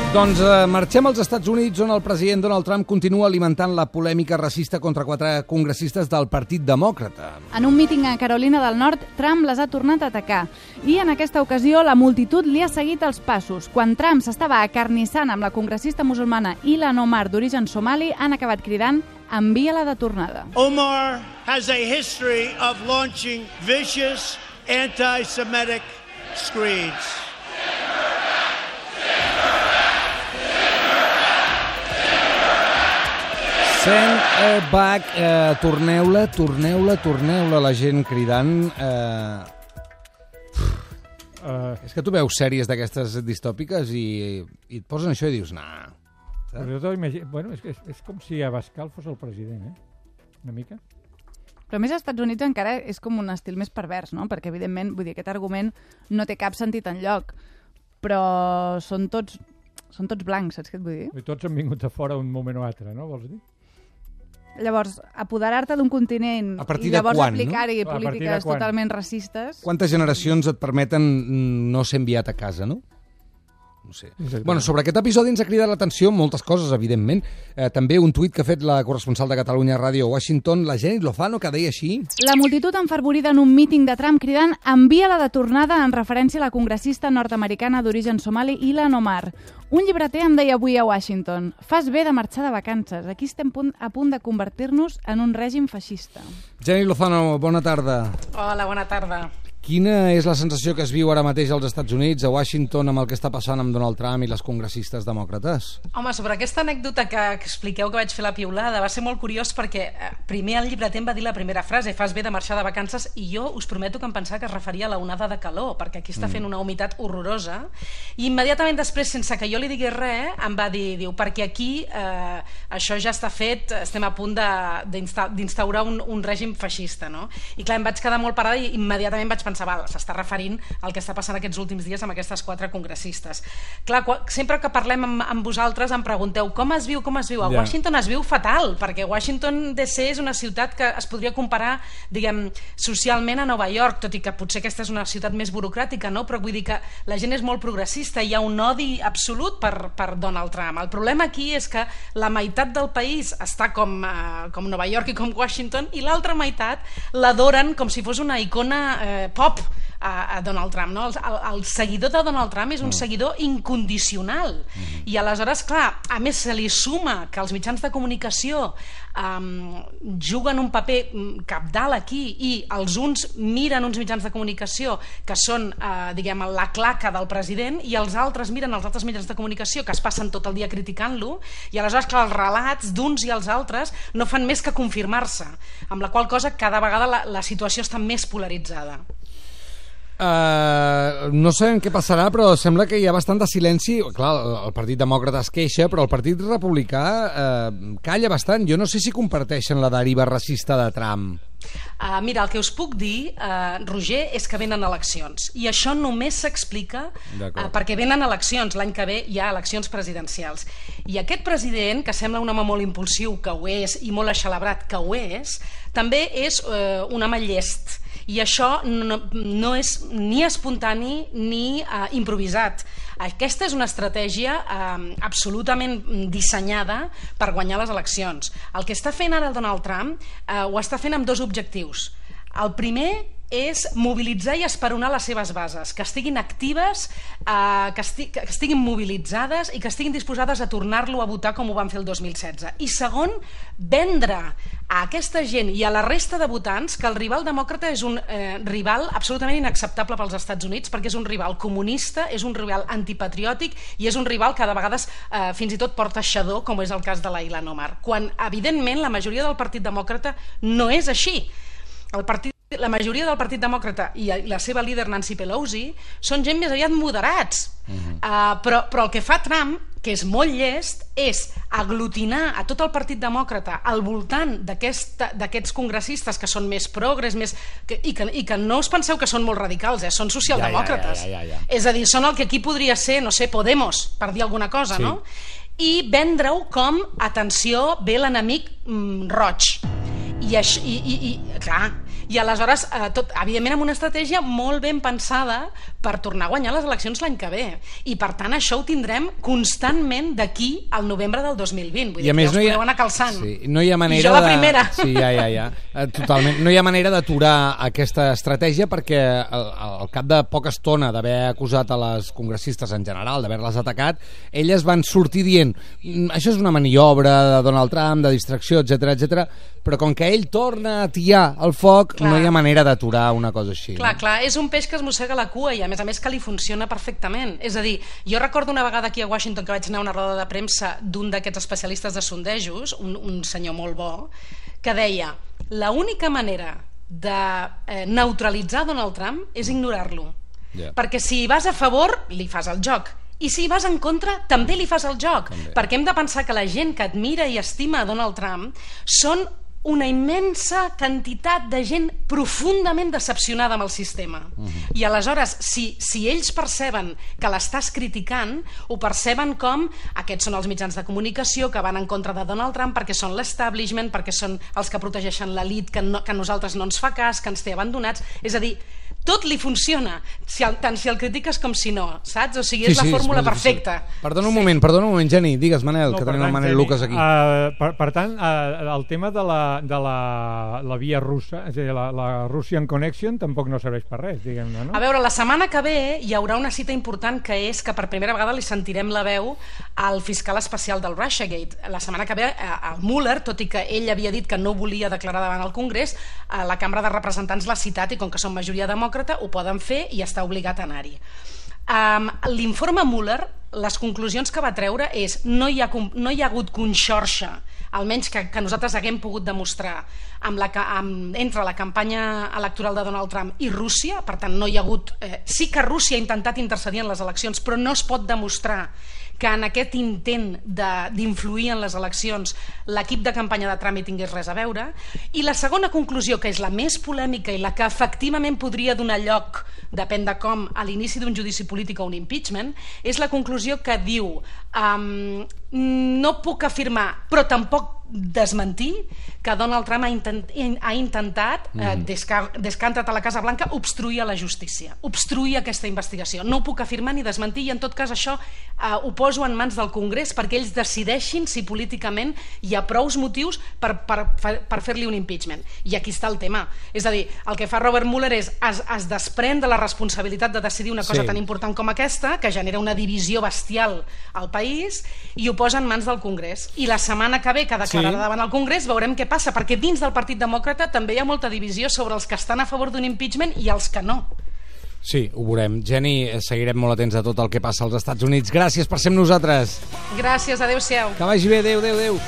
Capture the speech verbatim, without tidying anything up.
Doncs eh, marxem als Estats Units, on el president Donald Trump continua alimentant la polèmica racista contra quatre congressistes del Partit Demòcrata. En un míting a Carolina del Nord, Trump les ha tornat a atacar. I en aquesta ocasió la multitud li ha seguit els passos. Quan Trump s'estava acarnissant amb la congressista musulmana Ilhan Omar, d'origen somali, han acabat cridant "envia-la de tornada". Omar has a history of launching vicious anti-Semitic screeds. Send her back, eh, torneu-la, torneu-la, torneu-la, la gent cridant. Eh... Uh, és que tu veus sèries d'aquestes distòpiques i, i et posen això i dius, nah. Però imagino, bueno, és, és, és com si Abascal fos el president, eh? Una mica. Però a més, als Estats Units encara és com un estil més pervers, no? Perquè, evidentment, vull dir, aquest argument no té cap sentit enlloc. Però són tots, són tots blancs, saps què et vull dir? I tots han vingut de fora un moment o altre, no? Vols dir? Llavors, apoderar-te d'un continent i llavors aplicar-hi no? polítiques totalment racistes... Quantes generacions et permeten no ser enviat a casa, no? No sé. Bueno, sobre aquest episodi ens ha cridat l'atenció moltes coses, evidentment. Eh, també un tuit que ha fet la corresponsal de Catalunya Ràdio a Washington, la Jenny Lozano, que deia així... La multitud enfervorida en un míting de Trump cridant "envia-la de tornada" en referència a la congressista nord-americana d'origen somali Ilhan Omar. Un llibreter em deia avui a Washington: "Fas bé de marxar de vacances. Aquí estem a punt de convertir-nos en un règim feixista". Jenny Lozano, bona tarda. Hola, bona tarda. Quina és la sensació que es viu ara mateix als Estats Units, a Washington, amb el que està passant amb Donald Trump i les congressistes demòcrates? Home, sobre aquesta anècdota que, que expliqueu que vaig fer la piulada, va ser molt curiós perquè eh, primer el llibreter em va dir la primera frase: "Fas bé de marxar de vacances", i jo us prometo que em pensava que es referia a la onada de calor, perquè aquí està fent una humitat horrorosa, i immediatament després, sense que jo li digués res, em va dir, diu, perquè aquí eh, això ja està fet, estem a punt d'instaurar un, un règim feixista, no? I clar, em vaig quedar molt parada i immediatament vaig pensar, s'està referint al que està passant aquests últims dies amb aquestes quatre congressistes. Clar, sempre que parlem amb, amb vosaltres em pregunteu com es viu, com es viu. A yeah. Washington es viu fatal, perquè Washington D C és una ciutat que es podria comparar, diguem, socialment a Nova York, tot i que potser aquesta és una ciutat més burocràtica, no? Però vull dir que la gent és molt progressista, hi ha un odi absolut per, per Donald Trump. El problema aquí és que la meitat del país està com, uh, com Nova York i com Washington, i l'altra meitat l'adoren com si fos una icona eh, pop A, a Donald Trump, no? El, el, el seguidor de Donald Trump és un seguidor incondicional, mm. i aleshores, clar, a més se li suma que els mitjans de comunicació um, juguen un paper cabdal aquí, i els uns miren uns mitjans de comunicació que són, uh, diguem, la claca del president, i els altres miren els altres mitjans de comunicació que es passen tot el dia criticant-lo, i aleshores, clar, els relats d'uns i els altres no fan més que confirmar-se, amb la qual cosa cada vegada la, la situació està més polaritzada. Uh, no sabem què passarà, però sembla que hi ha bastant de silenci. Clar, el Partit Demòcrata es queixa, però el Partit Republicà uh, calla bastant. Jo no sé si comparteixen la deriva racista de Trump. Uh, mira, el que us puc dir, uh, Roger, és que venen eleccions, i això només s'explica uh, perquè venen eleccions. L'any que ve hi ha eleccions presidencials, i aquest president, que sembla un home molt impulsiu, que ho és, i molt eixelebrat, que ho és, també és uh, un home llest, i això no, no és ni espontani ni uh, improvisat. Aquesta és una estratègia eh, absolutament dissenyada per guanyar les eleccions. El que està fent ara el Donald Trump eh, ho està fent amb dos objectius. El primer és mobilitzar i esperonar les seves bases, que estiguin actives, eh, que, esti que estiguin mobilitzades i que estiguin disposades a tornar-lo a votar com ho van fer el dos mil setze. I segon, vendre a aquesta gent i a la resta de votants que el rival demòcrata és un eh, rival absolutament inacceptable pels Estats Units, perquè és un rival comunista, és un rival antipatriòtic i és un rival que de vegades eh, fins i tot porta xadó, com és el cas de la Ilhan Omar, quan evidentment la majoria del Partit Demòcrata no és així. El partit La majoria del Partit Demòcrata i la seva líder Nancy Pelosi són gent més aviat moderats, uh-huh. uh, però, però el que fa Trump, que és molt llest, és aglutinar a tot el Partit Demòcrata al voltant d'aquests congressistes que són més progres, més, que, i, que, i que no us penseu que són molt radicals, eh? Són socialdemòcrates, ja, ja, ja, ja, ja. És a dir, són el que aquí podria ser, no sé, Podemos, per dir alguna cosa, sí. No? I vendre-ho com, atenció, ve l'enemic mm, roig. I, això, i, i, i clar, i aleshores, eh, tot, evidentment amb una estratègia molt ben pensada per tornar a guanyar les eleccions l'any que ve. I per tant això ho tindrem constantment d'aquí al novembre del dos mil vint. Vull dir que ja us podeu anar calçant. Sí, no hi ha manera I jo la de... primera. Sí, ja, ja, ja. Totalment. No hi ha manera d'aturar aquesta estratègia perquè al, al cap de poca estona d'haver acusat a les congressistes en general, d'haver-les atacat, elles van sortir dient això és una maniobra de Donald Trump, de distracció, etcètera, etcètera, però com que ell torna a tiar el foc, clar, no hi ha manera d'aturar una cosa així. Clar, no? clar, és un peix que es mossega la cua i a més a més que li funciona perfectament. És a dir, jo recordo una vegada aquí a Washington que vaig anar a una roda de premsa d'un d'aquests especialistes de sondejos, un, un senyor molt bo, que deia la única manera de eh, neutralitzar Donald Trump és ignorar-lo. Yeah. Perquè si vas a favor, li fas el joc. I si vas en contra, també li fas el joc. També. Perquè hem de pensar que la gent que admira i estima Donald Trump són una immensa quantitat de gent profundament decepcionada amb el sistema. Uh-huh. I aleshores, si, si ells perceben que l'estàs criticant, ho perceben com aquests són els mitjans de comunicació que van en contra de Donald Trump perquè són l'establishment, perquè són els que protegeixen l'elit, que, no, que a nosaltres no ens fa cas, que ens té abandonats. És a dir, tot li funciona, si el, tant si el critiques com si no, saps? O sigui, és sí, sí, la fórmula és perfecta. Perdona un moment, perdona un moment, Geni, digues, Manel, no, que tenim el Manel Geni, Lucas aquí. Uh, per, per tant, uh, el tema de, la, de la, la via russa, és a dir, la, la Russian Connection, tampoc no serveix per res, diguem-ne, no? A veure, la setmana que ve hi haurà una cita important que és que per primera vegada li sentirem la veu al fiscal especial del Russiagate. La setmana que ve, el Mueller, tot i que ell havia dit que no volia declarar davant el Congrés, la Cambra de Representants l'ha citat i com que són majoria demòcrata ho poden fer i està obligat a anar-hi. Um, l'informe Mueller, les conclusions que va treure és no hi ha, no hi ha hagut conxorxa, almenys que, que nosaltres haguem pogut demostrar amb la, amb, entre la campanya electoral de Donald Trump i Rússia. Per tant no hi ha hagut eh, sí que Rússia ha intentat intercedir en les eleccions, però no es pot demostrar que en aquest intent d'influir en les eleccions l'equip de campanya de Trump hi tingués res a veure. I la segona conclusió, que és la més polèmica i la que efectivament podria donar lloc, depèn de com, a l'inici d'un judici polític o un impeachment, és la conclusió que diu um, no puc afirmar, però tampoc desmentir, que Donald Trump ha, intent, ha intentat, mm. eh, des, que, des que ha entrat a la Casa Blanca, obstruir a la justícia, obstruir aquesta investigació. No ho puc afirmar ni desmentir i en tot cas això eh, ho poso en mans del Congrés perquè ells decideixin si políticament hi ha prous motius per, per, per fer-li un impeachment. I aquí està el tema. És a dir, el que fa Robert Mueller és es, es desprèn de la responsabilitat de decidir una cosa sí. tan important com aquesta, que genera una divisió bestial al país, i ho posa en mans del Congrés. I la setmana que ve, que declararà sí. davant el Congrés, veurem què passa, perquè dins del Partit Demòcrata també hi ha molta divisió sobre els que estan a favor d'un impeachment i els que no. Sí, ho veurem. Geni, seguirem molt atents a tot el que passa als Estats Units. Gràcies per ser amb nosaltres. Gràcies, adeu-siau. Que vagi bé, adeu, adeu, adeu.